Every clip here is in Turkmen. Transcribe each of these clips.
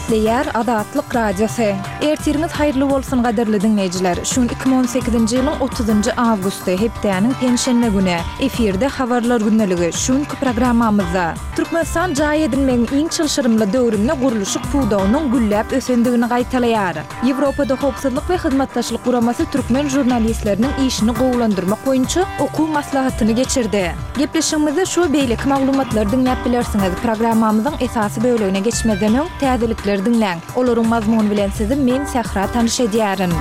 Gepleýär Azatlyk Radiosy. Ertiriňiz haýyrly bolsun gadyrly diňleýjiler. Şu gün 2018-nji ýylyň 30-njy awgusty, hepdäniň penşenbe güni. Efirde Habarlar gündeligi. Şu günki programmamyzda. Türkmenistan jaý edinmegiň iň çylşyrymly döwründe gurluşyk pudagynyň gülläp ösendigini gaýtalaýar. Ýewropada Howpsuzlyk we Hyzmatdaşlyk Guramasy türkmen žurnalistleriniň işini gowulandyrmak boýunça okuw maslahatyny geçirdi. Gepleşigimizde şu we beýleki maglumatlary diňläp bilersiňiz. Programmamyzyň esasy bölegine geçmezden öň, täzelikleri diňläň. Olaryň mazmuny bilen sizi men, Sähra tanyş edýärin.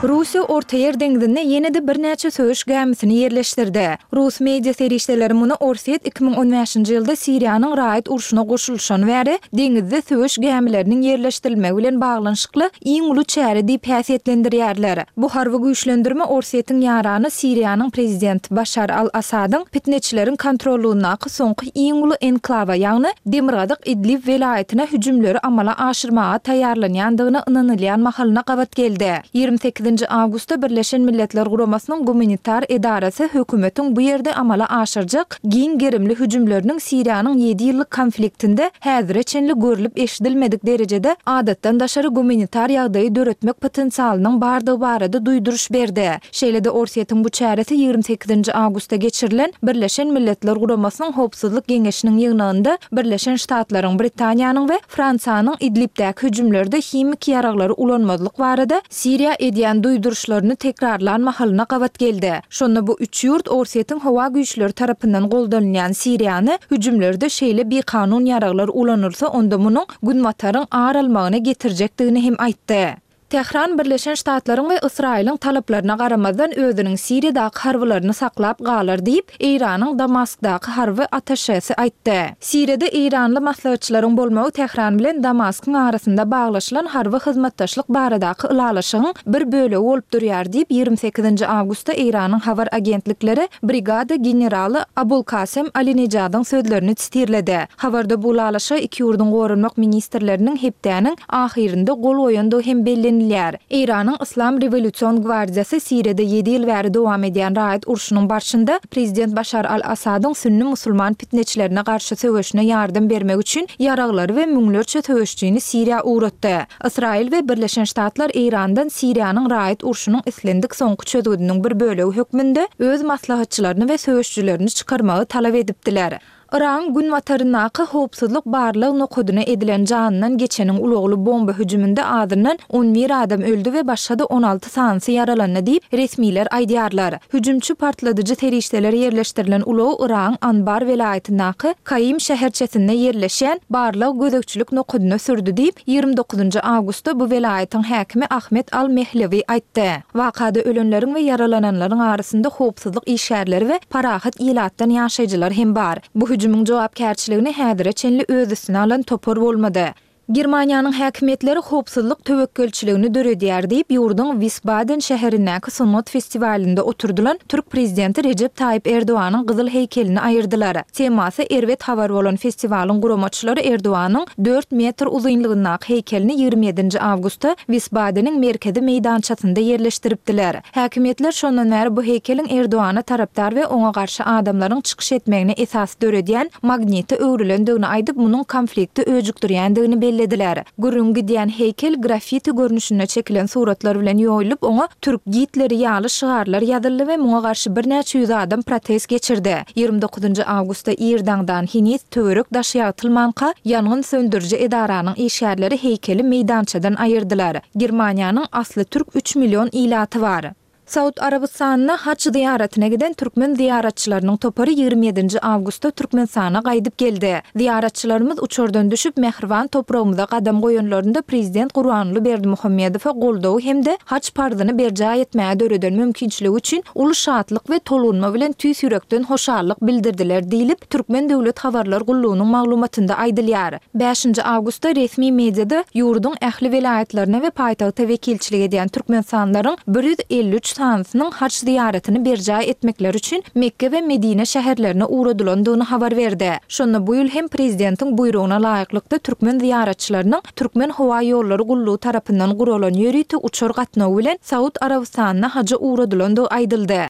Russiýa Ortaýer deňzinde ýene-de birnäçe söweş gämisini ýerleşdirdi. Rus media serişdeleri muny Orsýet 2015-nji ýylda Siriýanyň raýat urşuna goşulyşany bäri deňizde söweş gämileriniň ýerleşdirilmegi bilen baglanyşykly iň uly çäre diýip häsiýetlendirýärler. Bu harby güýçlendirme Orsýetiň ýarany Siriýanyň prezidenti Başar al-Assadyň pitneçileriň kontrollygyndaky soňky iň uly enklawa, ýagny demirgazyk Idlib welaýatyna hüjümleri amala aşyrmaga taýýarlanýandygyna ynanylýan mahalyna gabat geldi. 28-nji awgustda Birleşen Milletler Guramasynyň gumanitar edarasy hökümetiň bu ýerde amala aşyrjak giň gerimli hüjümleriniň Siriýanyň ýedi ýyllyk konfliktinde häzire çenli görlüp-eşidilmedik derejede adatdan daşary gumanitar ýagdaýy döretmek potensialynyň bardygy barada duýduryş berdi. Şeýle-de Orsýetiň bu çäresi 28-nji awgustda geçirilen Birleşen Milletler Guramasynyň Howpsuzlyk Geňeşiniň ýygnagynda Birleşen Ştatlaryň, Britaniýanyň we Fransiýanyň Idlibdäki hüjümlerde himiki ýaraglary ulanmazlyk barada Siriýa edýän duýduryşlaryny tekrarlan mahalyna gabat geldi. Şonda bu üç ýurt Orsýetiň howa güýçleri tarapyndan goldanylýan Siriýany hüjümlerde şeýle bikanun ýaraglar ulanylsa onda munuň Günbataryň ar almagyna getirjekdigini hem aýtdy. Tähran Birleşen Ştatlaryň we Ysraýylyň talaplaryna garamazdan özüniň Siriýadaky harbylaryny saklap galar diýip, Eýranyň Damaskdaky harby attaşesi aýtdy. Siriýada eýranly maslahatçylaryň bolmagy Tähran bilen Damaskyň arasynda baglaşylan harby hyzmatdaşlyk baradaky ylalaşygyň bir bölegi bolup durýar diýip, 28-nji awgustda Eýranyň habar agentlikleri brigada generaly Abulkasem Alinejadyň sözlerini sitirledi. Habarda bu ylalaşyga iki ýurduň goranmak ministrleriniň hepdäniň ahyrynda gol goýandygy hem bellenilýär. Eýranyň Yslam rewolýusion gwardiýasy Siriýada ýedi ýyl bäri dowam edýän raýat urşunyň barşynda prezident Başar al-Assadyň sünni musulman pitneçilerine garşy söweşine ýardam bermek üçin ýaraglary we müňlerçe söweşjini Siriýa ugratdy. Ysraýyl we Birleşen Ştatlar Eýrandan Siriýanyň raýat urşunyň islendik soňky çözgüdiniň bir bölegi hökmünde öz maslahatçylaryny we söweşjilerini çykarmagy talap edipdiler. Yragyň günbataryndaky howpsuzlyk barlag nokadyna edilen janyndan geçeniň ulagly bomba hüjüminde azyndan 11 adam öldi we başga-da 16 sanysy ýaralandy diýip, resmiler aýdýarlar. Hüjümçi partladyjy serişdeler ýerleşdirilen ulagy Yragyň Anbar welaýatyndaky Kaim şäherçesinde ýerleşýän barlag-gözegçilik nokadyna sürdi diýip, 29 awgustda bu welaýatyň häkimi Ahmet al-Mehlewi aýtdy. Wakada ölenleriň we ýaralananlaryň arasynda howpsuzlyk işgärleri we parahat ilatdan ýaşaýjylar hem bar. Bu hüjümiň jogapkärçiligini häzire çenli öz üstüne alan topar bolmady. Germaniýanyň häkimiýetleri howpsuzlyk töwekgelçiligini döredýär diýip, ýurduň Wisbaden şäherindäki sungat festiwalynda oturdylan türk prezidenti Rejep Taýyp Erdoganyň gyzyl heýkelini aýyrdylar. Temasy erbet habar bolan festiwalyň guramaçylary Erdoganyň dört metr uzynlygyndaky heýkelini 27-nji awgustda Wisbadeniň merkezi meýdançasynda ýerleşdiripdiler. Häkimiýetler şondan bäri bu heýkeliň Erdogana tarapdar we oňa garşy adamlaryň çykyş etmegine esas döredýän magnite öwrülendigini aýdyp, munuň konflikti öjükdirýändigini bellediler. Gürrüňi gidýän heýkel graffiti görnüşinde çekilen suratlar bilen ýoýulyp, oňa Türk Gitleri ýaly şygarlar ýazyldy we muňa garşy birnäçe ýüz adam protest geçirdi. 29-njy awgustda ir daňdan, heniz töwerek-daş ýagtylmanka, ýangyn söndüriji edaranyň işgärleri heýkeli meýdançadan aýyrdylar. Germaniýanyň asly türk üç million ilaty bar. Saud Arabystanyna haç zyýaratyna giden türkmen zyýaratçylarynyň topary 27-nji awgustda Türkmenistana gaýdyp geldi. Zyýaratçylarymyz uçardan düşüp, mähriban topragymyza gadam goýanlarynda prezident Gurbanguly Berdimuhamedowa goldawy hem-de haç parzyny berjaý etmäge döreden mümkinçiligi üçin uly şatlyk we tolgunma bilen tüýs ýürekden hoşallyk bildirdiler diýlip, Türkmen döwlet habarlar gullugynyň maglumatynda aýdylýar. Bäşinji awgustda resmi mediada ýurduň ähli welaýatlaryna we paýtagta wekilçilik edýän türkmenistanlylaryň 153 sanysynyň haj zyýaratyny berjaý etmekleri üçin Mekge we Medine şäherlerine ugradylandygyny habar berdi. Şonda bu ýyl hem prezidentiň buýrugyna laýyklykda türkmen zyýaratçylarynyň Türkmenhowaýollary gullugy tarapyndan guralan ýörite uçar gatnawy bilen Saud Arabystanyna haja ugradylandygy aýdyldy.